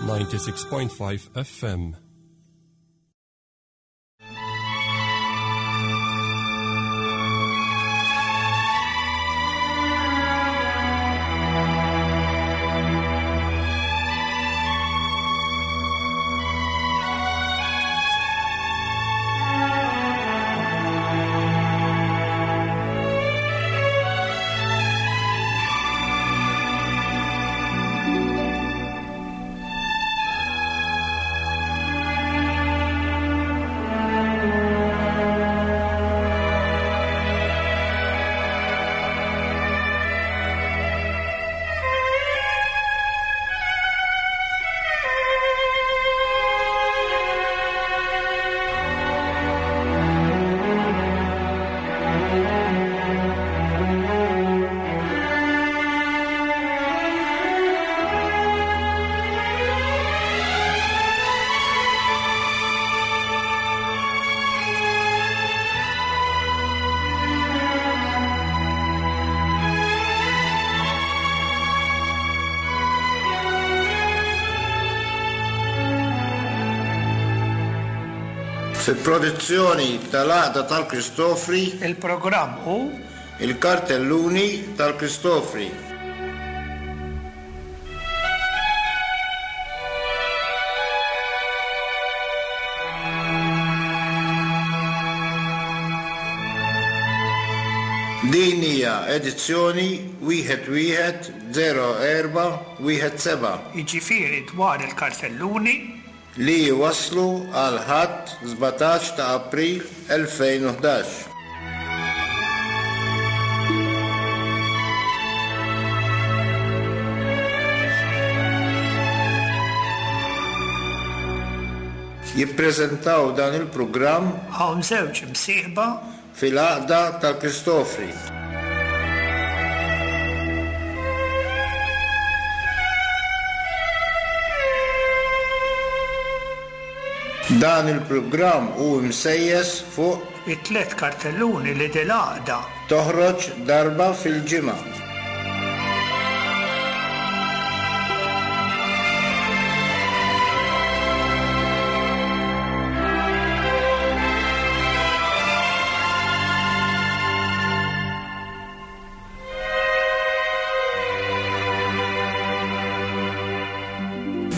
96.5 FM. Fi produzzjoni tal-Għaqda tal-Kristofri. Il-programm hu. Il-Kartelluni tal-Kristofri. Din hija edizzjoni wieħed wieħed 0417. Jiġifieri dwar il-kartelluni. Li jwasslu għal Ħadd 17 ta' April 2011. Jippreżentaw dan il-programm. Hawn żewġ imsieħba. Fil-Għaqda tal-Kristofri. Dan il-programm hu msejjes fuq. It-tlett kartelluni li dil-Għaqda. Toħroġ darba fil-ġimgħa.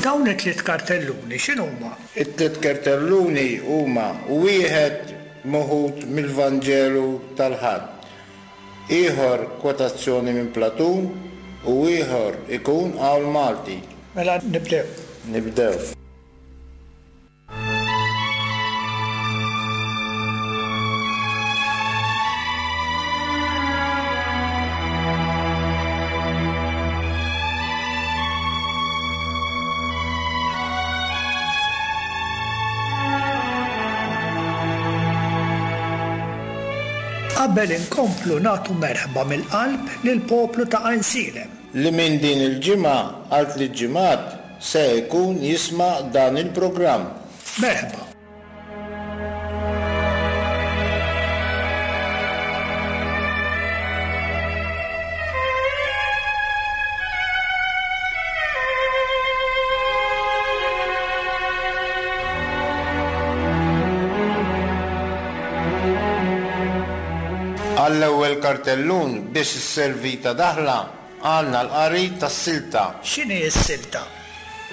Dawn it-tliet kartelluni x'inhuma? It-tliet kartelluni huma wieħed meħud mill-Vanġelu tal-Ħadd, ieħor kwotazzjoni minn Platun u ieħor ikun qawl Malti. Mela nibdew. Nibdew. Qabel inkomplu nagħtu merħba mill-qalb lill-poplu ta' Għajnsielem. Li minn din il-ġimgħa għal tliet ġimgħat se jkun jisma' dan il-programm. Merħba. Għall-ewwel kartellun biex isservi ta' daħla għandna l-qari tas-silta. X'inhi s-silta?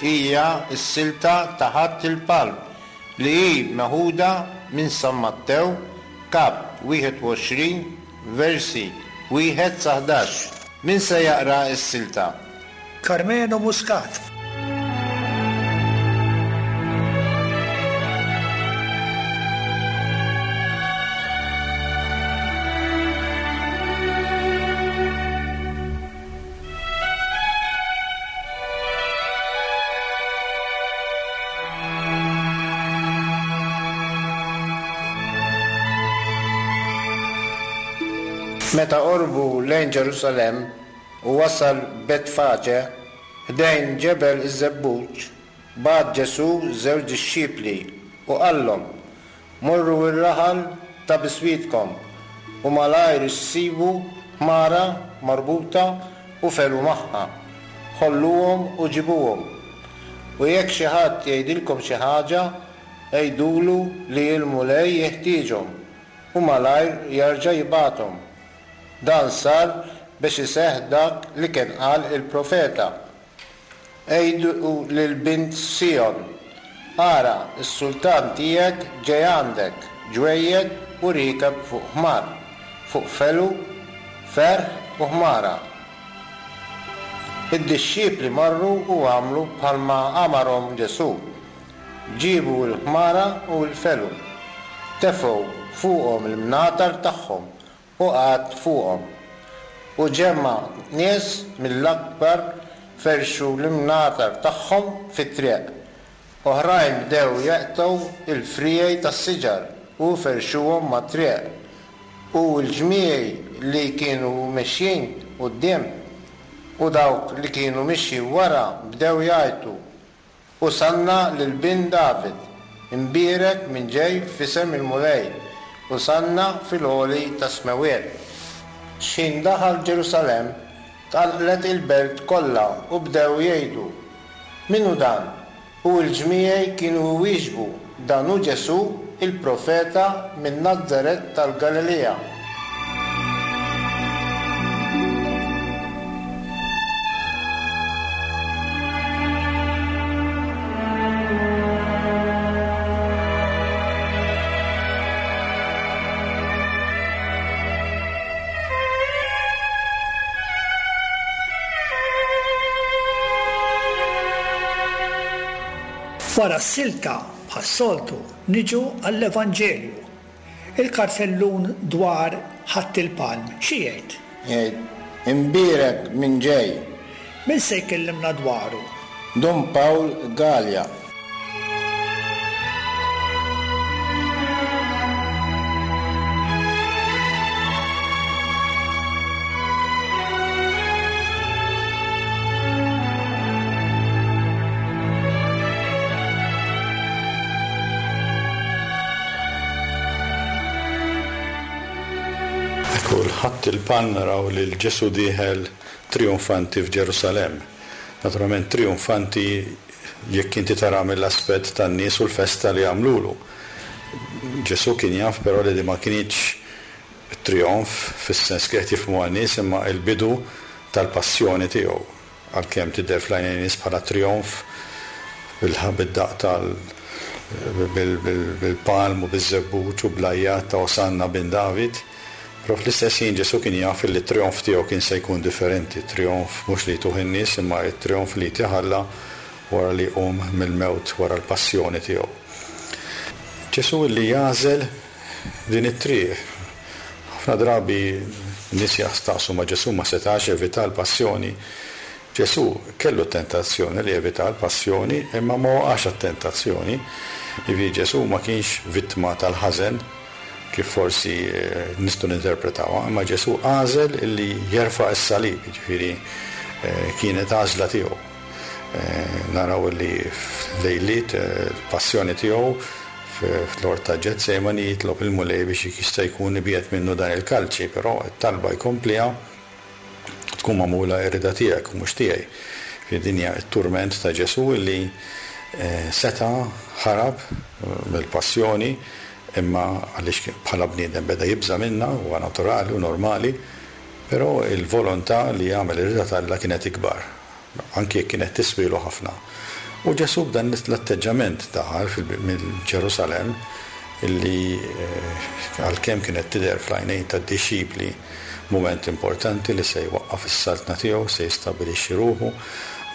Hija s-silta ta' Ħadd il-Palm li hi meħuda minn San Mattew, Kap. 21, versi wieħed sa 11. Min se jaqra s-silta? Karmenu Muscat. Meta qorbu lejn Ġerusalemm u wasal Betfaġe, ħdejn Ġebel iż-Żebbuġ, bagħat Ġesù żewġ dixxipli u qallhom, Morru r-raħal ta' biswitkom, u malajr issibu ħmara marbuta u felu magħha. Ħolluhom u ġibuhom. U jekk xi ħadd jgħidilkom xi ħaġa, għidulu li l-Mulej jeħtieġhom, u malajr jerġa' jibgħathom. Dan sar biex iseħħ dak li kien qal il-profeta, Għidu lil bint Sijon, Ara, is-sultan tiegħek ġej għandek, ġwejjed u riekeb fuq ħmar, fuq felu, ferħ u ħmara. Id-dixxipli marru u għamlu bħalma amarhom Ġesù. Ġiebu l-ħmara u l-felu, tefgħu fuqhom il-mnatar tagħhom u qagħad fuqhom. U ġemgħa nies mill-akbar ferxu l-imnatar tagħhom fit-triq. Oħrajn bdew jeqtgħu l-friegħi tas-siġar u ferxuhom mat-triq. U l-ġmiegħi li kienu mexjin quddiem u dawk li kienu mixjin wara bdew jgħajtu, Osanna lil Bin David! Imbierek min ġej f'isem il-Mulej! Osanna fil-għoli tas-smewwiet! X'ħin daħal Ġerusalemm, tqanqlet il-belt kollha u bdew jgħidu, Min hu dan? U l-ġmiegħi kienu jwieġbu, Dan hu Ġesù, il-profeta minn Nazaret tal-Galilija. Wara s-silta, bħas-soltu, niġu għall-Evanġelju. Il-kartellun dwar Ħadd il-Palm xi jgħid? Jgħid, Imbierek min ġej! Min se jkellimna dwaru? Dun Pawl Galea. Ekku l-Ħadd il-Palm naraw lil Ġesù dieħel trijunfanti f'Ġerusalemm. Naturalment trijunfanti jekk inti tara mill-aspett tan-nies u l-festa li għamlulu. Ġesù kien jaf però li din ma kinitx trijonf fis-sens kif qed jifhmuha n-nies imma l-bidu tal-passjoni tiegħu. Għalkemm tidher fl-għajnejn nies bħala trijonf bid-daqq tal bil-palm u biż-żebbuġ u bl-għajjat ta' Osanna bin David, però fl-istess ħin Ġesù kien jaf illi t-trijonf tiegħu kien se jkun differenti, trijonf mhux li jtuh in-nies imma t-trijonf li jtih Alla wara li jqum mill-mewt wara l-passjoni tiegħu. Ġesù illi jagħżel din it-triq. Ħafna drabi n-nies jastaqsu ma Ġesù ma setax jevita l-passjoni. Ġesù kellu t-tentazzjoni li jevita l-passjoni imma ma waqax għat-tentazzjoni. Jiġifieri Ġesù ma kienx vittma tal-ħażen kif forsi nistgħu ninterpretawha, imma Ġesù għażel li jerfa' s-salib, jiġifieri kienet għażla tiegħu. Naraw li f'lejliet il-passjoni tiegħu Fl-ort ta' Ġetsemani jitlob il-Mulej biex jekk jista' jkun ibiegħed minnu dan il-kalċi, però t-talba jkompliha, Tkun magħmula r-rieda tiegħek u mhux tiegħi. Jiġifieri din hija t-turment ta' Ġesù li seta' ħarab mill-passjoni imma għaliex bħala bniedem beda jibża' minnha, huwa naturali u normali, però l-volontà li jagħmel ir-rieda t'Alla kienet ikbar. anki jekk kienet tiswielu ħafna. U Ġesù b'dan l-atteġġament daħal mill-Ġerusalemm li għalkemm kienet tidher fl-għajnejn tad-dixxipli mument importanti li se jwaqqaf is-saltna tiegħu, se jistabbilixxi ruħu,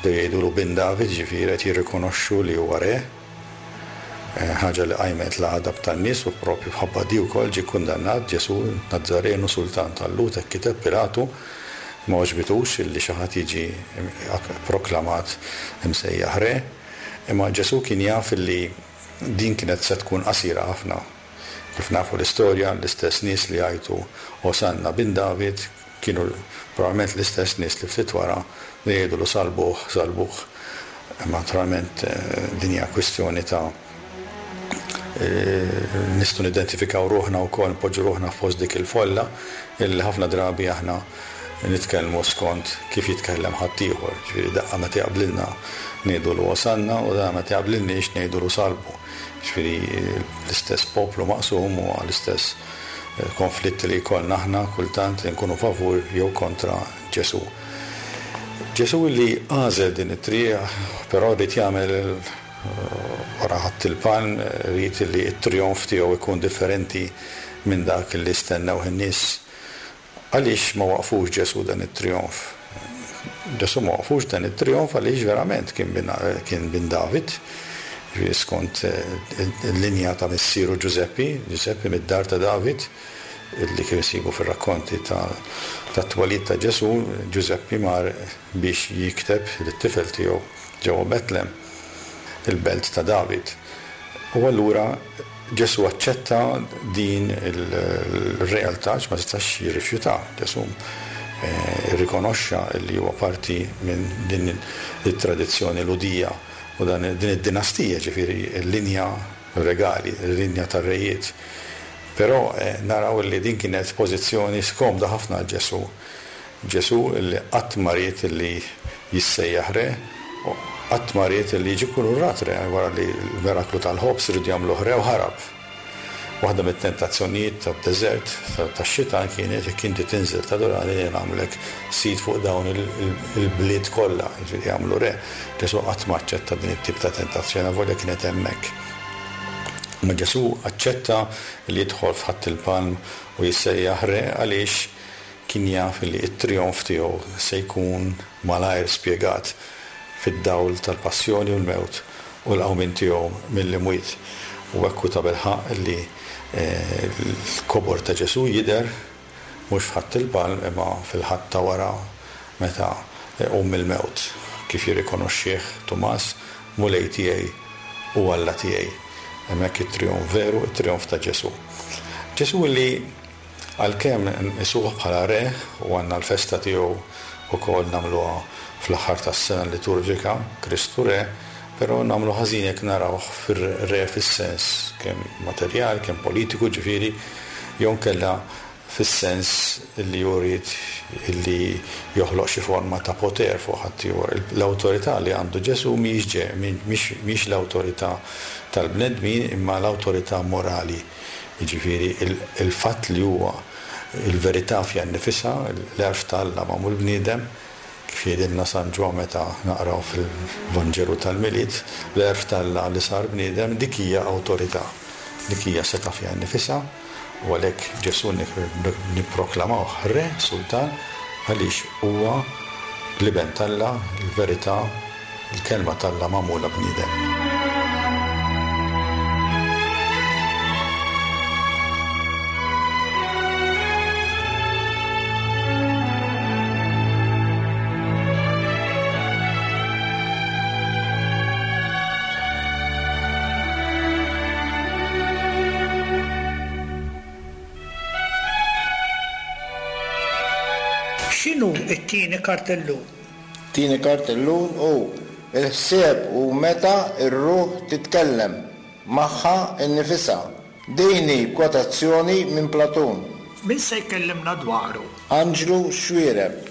bdew jgħidulu bin David, jiġifieri qed jirrikonoxxu li huwa re. Ħaġa li qajmet l-għadab tan-nies u proprju mħabba di wkoll ġie kkundannat Ġesù Nazzarenu sultan tal-Lhud hekk kiteb Pilatu. Ma għoġbitux illi xi ħadd jiġi pproklamat imsejjaħ re, imma Ġesù kien jaf illi din kienet se tkun qasira ħafna. Kif nafu l-istorja, l-istess nies li għajtu Osanna bin David kienu probabbilment l-istess nies li ftit wara bdew jgħidulu salbuh, salbuh. Imma naturalment din hija kwistjoni ta' nistgħu nidentifikaw ruħna wkoll, npoġġu ruħna fost dik il-folla illi ħafna drabi aħna. nitkellmu skont kif jitkellem ħaddieħor. Ġifieri daqqa meta jaqblilna ngħidulu Osanna u daqqa meta jaqblilniex ngħidulu salbu. Ġifieri l-istess poplu maqsum huwa l-istess konflitt li jkollna aħna kultant li nkunu favur jew kontra Ġesù. Ġesù li għażel din it-triq, però ried jagħmel wara Ħadd il-Palm, ried li t-trijonf tiegħu jkun differenti minn dak li stennewh in-nies. Għaliex ma waqfux Ġesù dan it-trijonf? Ġesù ma waqfux dan it-trijonf għaliex verament kien bin kien bin David, jiġifieri skont il-linja ta' missieru Ġużeppi, Ġużeppi mid-dar ta' David, li kif insibu fir-rakkonti tat-twelid ta' Ġesù, Ġużeppi mar biex jikteb lit-tifel tiegħu ġewwa Betlem, il-belt ta' David. U allura Ġesù aċċetta din ir-realtà għax ma setax jirrifjutha. Ġesù rrikonoxxa li huwa parti minn din it-tradizzjoni Lhudija u din id-dinastija, ġifieri l-linja regali, il-linja tar-rejiet. Però naraw li din kienet pożizzjoni skomda ħafna għal Ġesù. Ġesù li qatt ma ried li jissejjaħ re, u qatt ma ried li jiġi kkunurrat re, wara li l-miraklu tal-ħobż riedu jagħmluh re u ħarab. Waħda mit-tentazzjonijiet tad-deżert tax-xitan kienet jekk inti tinżel tadurani jien nagħmlek sid fuq dawn il-bliet kollha, jiġifieri jagħmlu re. Ġesù qatt ma aċċetta din it-tip ta' tentazzjoni avolja kienet hemmhekk. Imma Ġesù aċċetta li jidħol f'Ħadd il-Palm u jissejjaħ re għaliex Kien jaf li t-trijonf tiegħu se jkun malajr spjegat fid-dawl tal-passjoni u l-mewt u l-qawmien tiegħu mill-imwiet. U hekk hu tabilħaqq li l-kobor ta' Ġesù jidher mhux f'Ħadd il-Palm imma fil-Ħadd ta' wara meta jqum mill-mewt, kif jirrikonoxxih Tumas, Mulej tiegħi u Alla tiegħi. Hemmhekk it-trijonf veru, it-trijonf ta' Ġesù. Ġesù li Għalkemm nqisuh bħala re u għandna l-festa tiegħu wkoll nagħmluha fl-aħħar tas-sena liturġika, Kristu Re, però nagħmlu ħażin jekk narawh fir-re fis-sens kemm materjal, kemm politiku ġifieri, jew inkella fis-sens li hu ried li joħloq xi forma ta' poter fuq ħaddieħor. L-awtorità li għandu Ġesù mhijiex mhijiex l-awtorità tal-bnedmin imma l-awtorità morali. Jiġifieri l-fatt li huwa l-verità fiha nnifisha, l-għerf ta' Alla magħmul bniedem, kif jgħidilna San Ġwann meta naqraw fil-Vanġelu tal-Milied, l-għerf ta' Alla li sar bniedem, dik hija awtorità, dik hija setgħa fiha nnifisha, u għalhekk Ġesù nipproklamawh Re, Sultan, għaliex huwa l-Iben t'Alla, il-verità, Il-Kelma t'Alla magħmula bniedem. X'inhu t-tieni kartellun? Tieni kartellun hu l-ħsieb hu meta r-ruħ titkellem magħha nnifisha. Din hi kwotazzjoni minn Platun. Min se jkellimna dwaru? Anġlu Xuereb.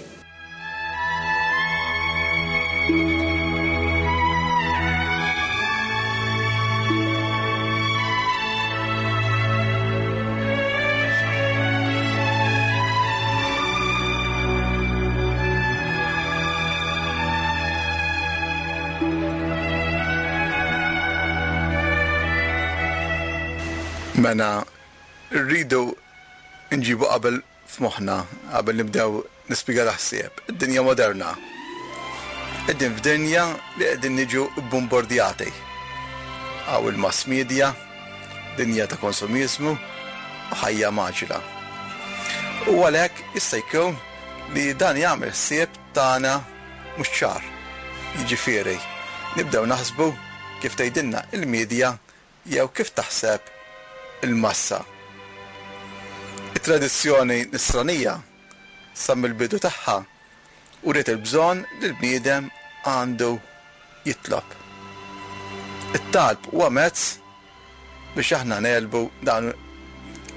Mela rridu nġibu qabel f'moħħna qabel nibdew nispjega l-ħsieb. Id-dinja moderna. Qegħdin f'dinja li qegħdin niġu bbombordjati. Hawn il-mass media, dinja ta' konsumiżmu u ħajja mgħaġġla. U għalhekk jista' jkun li dan jagħmel ħsieb tagħna mhux ċar. Jiġifieri, nibdew naħsbu kif tgħidilna l-media jew kif taħseb il-massa. It-tradizzjoni Nisranija sa mill-bidu tagħha uriet il-bżonn li l-bniedem għandu jitlob. It-talb huwa mezz biex aħna negħlbu dawn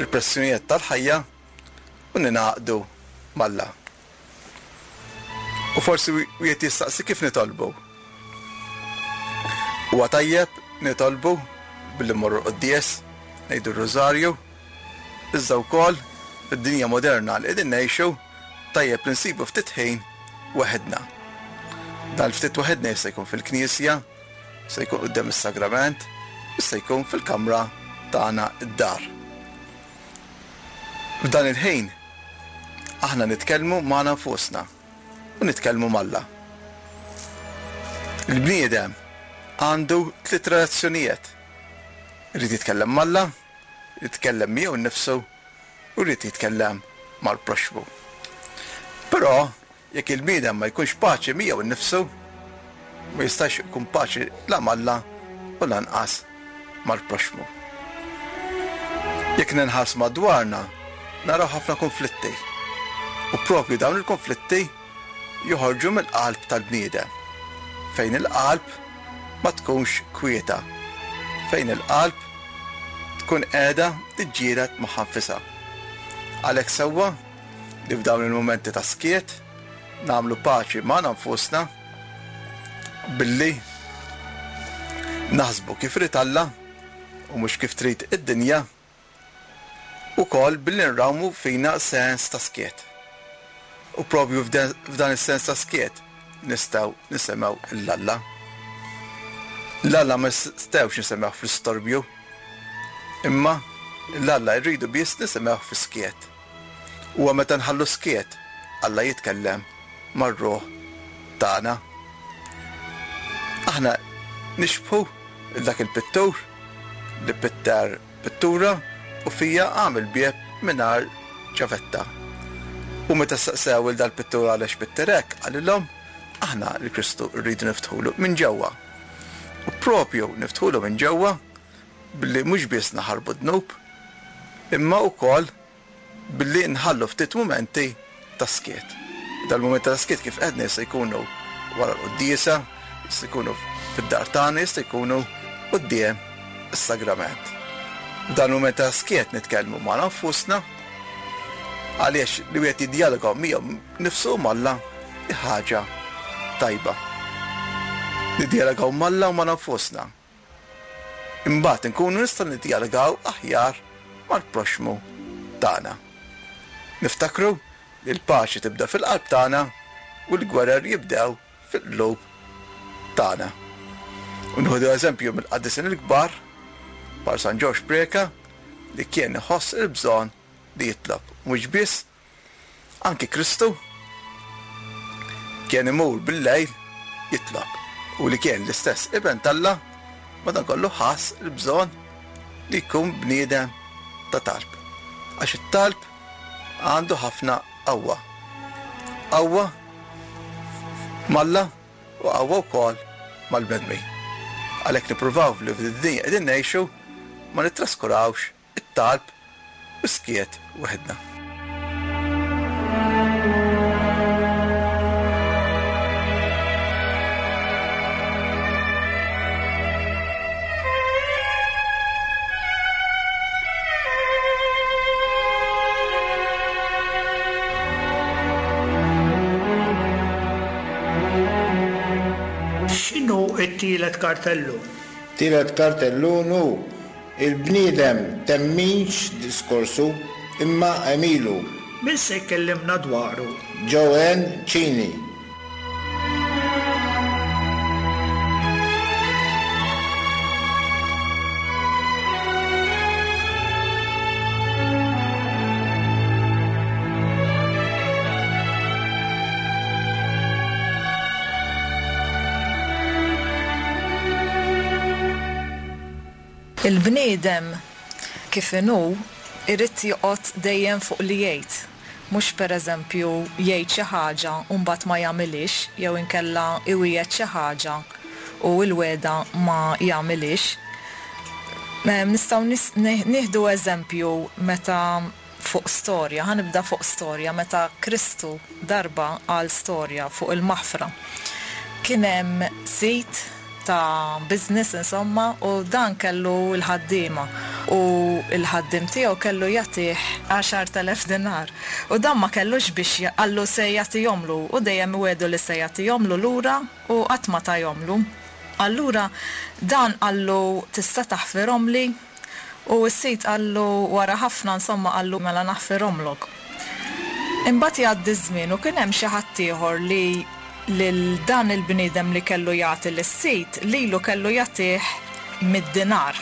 il-pressjonijiet tal-ħajja u ningħaqdu m'Alla. U forsi wieħed jistaqsi kif nitolbu. Huwa tajjeb nitolbu billi mmorru l-quddies, ngħidu r-rużarju, iżda wkoll fid-dinja moderna li qegħdin ngħixu tajjeb li nsibu ftit ħin waħedna. Dan il-ftit waħedna jista' jkun fil-knisja, jista' jkun quddiem is-sagrament, jista' jkun fil-kamra tagħna d-dar. F'dan il-ħin aħna nitkellmu magħna nfusna u nitkellmu m'Alla. Il-bniedem għandu tliet relazzjonijiet. Irid jitkellem m'Alla, jitkellem miegħu nnifsu u jrid jitkellem mal-proxxmu. Però Jekk il-bniedem ma jkunx paċi miegħu nnifsu, ma jistax ikun paċi la m'Alla u lanqas mal-proxxmu. Jekk ninħarsu madwarna, naraw ħafna kunflitti. U proprju dawn il-kunflitti joħorġu mill-qalb tal-bniedem, fejn il-qalb ma tkunx kwieta, fejn il-qalb tkun qiegħda tiġġieled magħha nfisha. Għalhekk sewwa li f'dawn il-mumenti ta' skiet nagħmlu paċi magħna nfusna billi naħsbu kif irid Alla u mhux kif trid id-dinja, ukoll billi nrawmu fina sens ta' skiet. U proprju f'dan is-sens ta' skiet nistgħu nisimgħu 'l Alla. 'l Alla ma nistgħux nisimgħuh fl-istorbju, imma 'l Alla rridu biss nisimgħuh fis-skiet. Huwa meta nħallu s-skiet Alla jitkellem mar-ruħ tagħna. Aħna nixbħu 'l dak il-pittur li pitter pittura u fija għamel bieb mingħajr ċavetta. U meta staqsew 'il dal-pittur għalex pitter hekk, qalilhom, Aħna lil Kristu rridu niftħulu minn ġewwa. U proprju niftħulu minn ġewwa billi mhux biss naħarbu d-dnub, imma wkoll billi nħallu ftit mumenti ta' skiet. Dal-mumenti ta' skiet kif għedna jista' jkunu wara l-quddiesa, jista' jkunu fid-dar tagħna, jista' jkunu quddiem is-sagrament. F'dan il-mument ta' skiet nitkellmu magħna nfusna għaliex li wieħed jiddjaloga miegħu nnifsu u m'Alla hi ħaġa tajba. Niddjalogaw m'Alla u magħna nfusna. Imbagħad inkunu nistgħu niddjalogaw aħjar mal-proxxmu tagħna. Niftakru li l-paċi tibda fil-qalb tagħna u l-gwerer jibdew fil-qlub tagħna. U nieħdu eżempju mill-qaddisin il-kbar, bħal San Ġorġ Preca, li kien iħoss il-bżonn li jitlob, mhux biss Anki Kristu kien imur bil-lejl jitlob, u li kien l-istess Iben t'Alla, madankollu ħass il-bżonn li jkun bniedem ta' talb. Għax it-talb għandu ħafna qawwa. Qawwa m'Alla u qawwa wkoll mal-bnedmin. Għalhekk nippruvaw li f'din id-dinja qegħdin ngħixu ma nittraskurawx it-talb u s-skiet waħedna. X'inhu t-tielet kartellun? Tielet kartellun hu Il-bniedem temminx diskorsu, imma għemilu. Min se jkellimna dwaru? Joanne Cini. Il-bniedem kif inhu irid joqgħod dejjem fuq li jgħid, mhux pereżempju jgħid xi ħaġa u mbagħad ma jagħmilhiex jew inkella iwiegħed xi ħaġa u l-wegħda ma jagħmilhiex. Nistgħu nieħdu eżempju meta fuq storja, ħa nibda fuq storja meta Kristu darba qal storja fuq il-maħfra. Kien hemm sid ta' business insomma u dan kellu l-ħaddiema. U l-ħaddiem tiegħu kellu jagħtih 10,000 dinar. U dan ma kellux biex qallu se jagħtihomlu u dejjem iwiegħdu li se jagħtihomlu lura u qatt ma tahomlu. Allura dan qallu tista' taħfirhomli? U s-sid qallu wara ħafna insomma qallu mela naħfirhomlok. Imbagħad jgħaddi ż-żmien u kien hemm xi ħaddieħor li lil dan il-bniedem li kellu jagħti lis-sid lilu kellu jagħtih mid-dinar.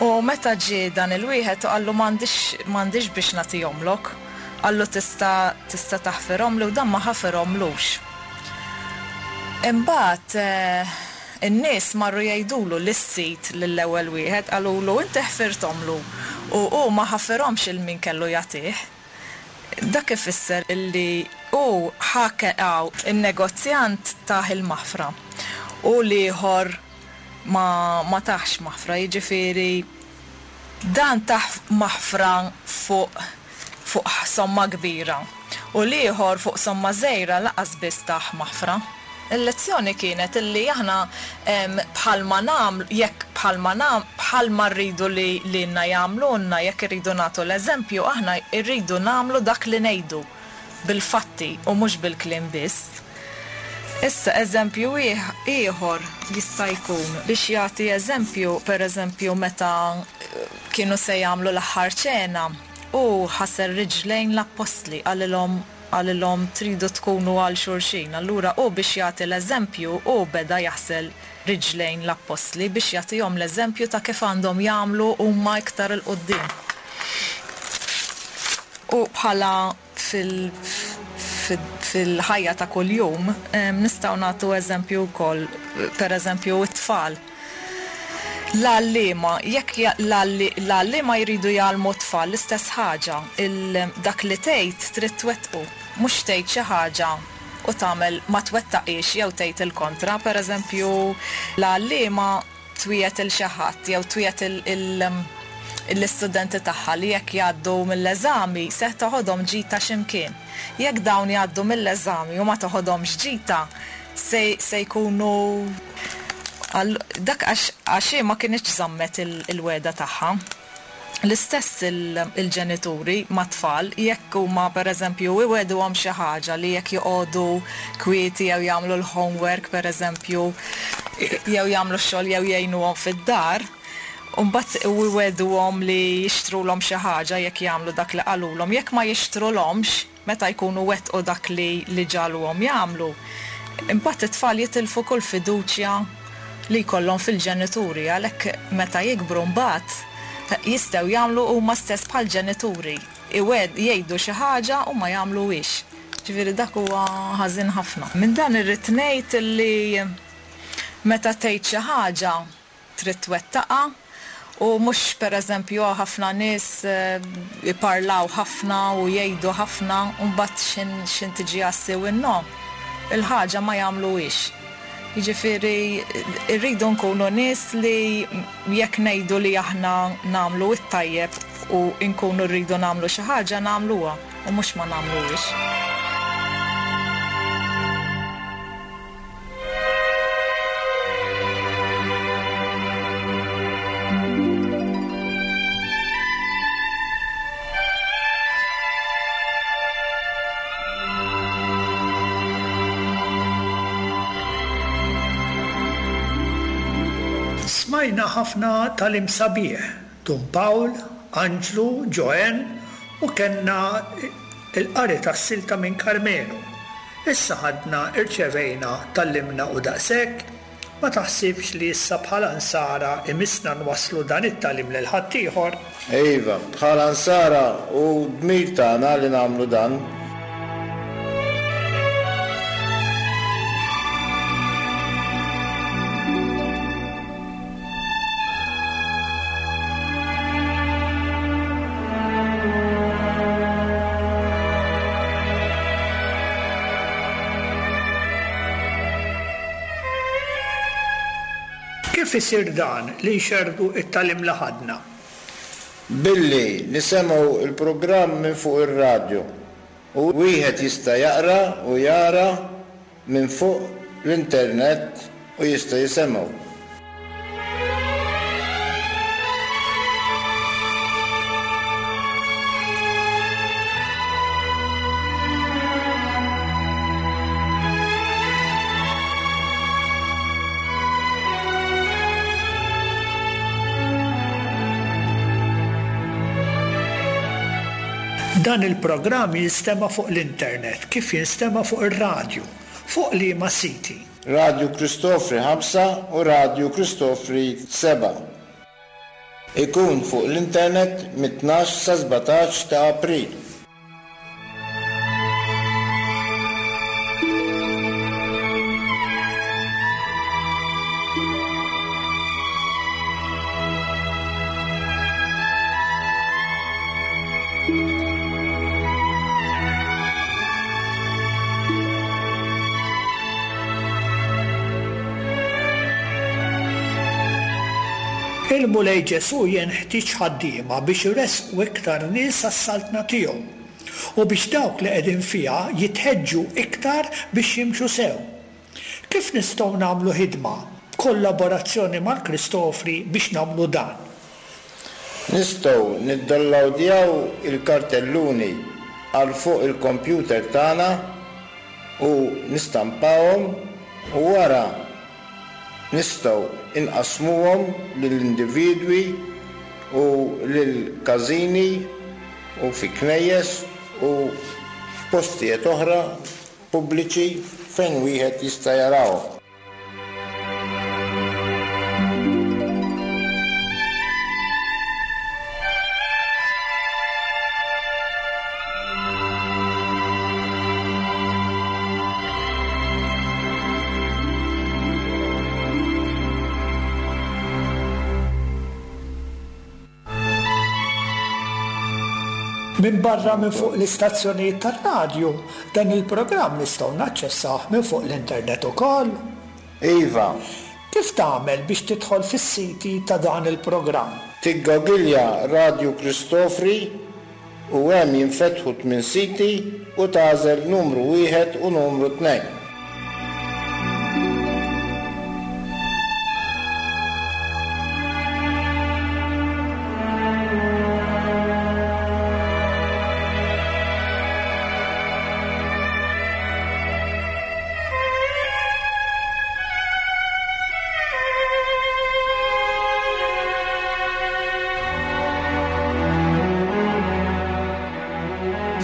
U meta ġie dan il-wieħed u qallu m'għandix m'għandix biex nagħtihomlok. Qallu tista' tista' taħfirhomli u dan ma ħafirhomlux. Imbagħad in-nies marru jgħidulu lis-sid lill-ewwel wieħed qalulu inti ħfirthomlu u hu ma ħafirhomx 'il min kellu jagħtih. Dak ifisser illi hu ħa in-negozjant tah il-maħfra u l-ieħor ma ma tahx maħfra, jiġifieri dan tah maħfra fuq fuq somma kbira u l-ieħor fuq somma żgħira lanqas biss tah maħfra. Il-lezzjoni kienet illi aħna bħalma nagħmlu, jekk bħalma nagħmlu, bħalma rridu li lilna jagħmlulna, jekk irridu nagħtu l-eżempju, aħna rridu nagħmlu dak li ngħidu, bil-fatti u mhux bil-kliem biss. Issa eżempju ieħor jista' jkun biex jagħti eżempju, pereżempju meta kienu se jagħmlu l-aħħar ċena, hu ħasel riġlejn l-appostli, qalilhom, Qalilhom tridu tkunu għal xulxin. Allura hu biex jagħti l-eżempju, hu beda jaħsel riġlejn l-appostli biex jagħtihom l-eżempju ta' kif għandhom jagħmlu huma iktar 'il quddiem. U bħala fil-ħajja ta' kuljum nistgħu nagħtu eżempju wkoll, pereżempju t-tfal. L-għalliema, jekk l-għalliema jridu jgħallmu t-tfal l-istess ħaġa, dak li tgħid trid twettqu, mhux tgħid xi ħaġa u tagħmel ma twettaqhiex jew tgħid il-kontra. Pereżempju, l-għalliema twiegħed 'il xi ħadd jew twiegħed l-istudenti tagħha li jekk jgħaddu mill-eżami se toħodhom ġita xi mkien. Jekk dawn jgħaddu mill-eżami u ma toħodhomx ġita, se se jkunu Dak għax għax hi ma kinitx żammet il-wegħda tagħha. L-istess il-ġenituri mat-tfal, jekk huma pereżempju iwegħduhom xi ħaġa li jekk joqogħdu kwieti jew jagħmlu l-homework pereżempju jew jagħmlu x-xogħol jew jgħinuhom fid-dar, u mbagħad iwegħduhom li jixtrulhom xi ħaġa jekk jagħmlu dak li qalulhom, jekk ma jixtrulhomx, Meta jkunu wettqu dak li li ġagħluhom jagħmlu, imbagħad it-tfal jitilfu kull fiduċja li jkollhom fil-ġenituri, għalhekk meta jikbru mbagħad jistgħu jagħmlu huma stess bħall-ġenituri, iwegħd jgħidu xi ħaġa u ma jagħmluhiex. Ġifieri dak huwa ħażin ħafna. Minn dan irrid ngħid li meta tgħid xi ħaġa, trid twettaqha u mhux pereżempju hawn ħafna nies iparlaw ħafna u jgħidu ħafna u mbagħad x'ħin x'ħin tiġi għas-siw in-no, il-ħaġa ma jagħmluhiex. Jiġifieri rridu nkunu nies li jekk ngħidu li aħna nagħmlu t-tajjeb u nkunu rridu nagħmlu xi ħaġa nagħmluha u mhux ma nagħmluhiex. Smajna ħafna tagħlim sabiħ, Dun Pawl, Anġlu, Joanne u kellna l-qari tas-silta minn Karmenu. Issa ħadna, irċevejna, tgħallimna u daqshekk? Ma taħsibx li issa bħala Nsara imissna nwasslu dan it-tagħlim lil ħaddieħor? Iva, bħala Nsara hu dmir tagħna li nagħmlu dan. Kif isir dan li nxerrdu t-tagħlim li ħadna? Billi nisemgħu l-programm minn fuq ir-radju u wieħed jista' jaqra u jara minn fuq l-internet u jista' jisemgħu. Dan il-programm jinstema' fuq l-internet kif jinstema' fuq ir-radju. Fuq liema siti? Radju Kristofri 5 u Radju Kristofri 7. Ikun fuq l-internet mit-tnax sa 17 ta' April. Il-Mulej Ġesù jenħtieġ ħaddiema biex iressqu iktar nies għas-Saltna tiegħu u biex dawk li qegħdin fiha jitħeġġu iktar biex jimxu sew. Kif nistgħu nagħmlu ħidma b'kollaborazzjoni mal-Kristofri biex nagħmlu dan? Nistgħu niddownlowdjaw il-kartelluni għal fuq il-kompjuter tagħna u nistampawhom u wara nistgħu inqassmuhom lill-individwi u lil każini u fi knejjes u f'postijiet oħra pubbliċi fejn wieħed jista' jarahom. Minbarra minn fuq l-istazzjonijiet tar-radju, dan il-programm nistgħu naċċessawh minn fuq l-internet ukoll? Iva. Kif tagħmel biex tidħol fis-siti ta' dan il-programm? Tiggogilja Radju Kristofri u hemm jinfetħu tminn siti u tagħżel numru wieħed u numru tnejn.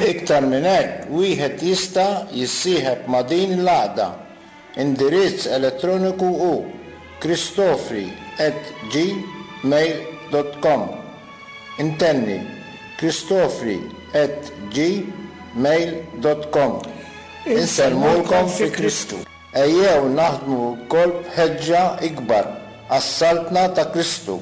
Iktar minn hekk, wieħed jista' jissieħeb ma' din l-għaqda. Indirizz elettroniku hu kristofri at gmail dot com. Intenni, kristofri at gmail dot com. Insellmulkom fi Kristu. Ejjew naħdmu lkoll b'ħeġġa ikbar għas-Saltna ta' Kristu.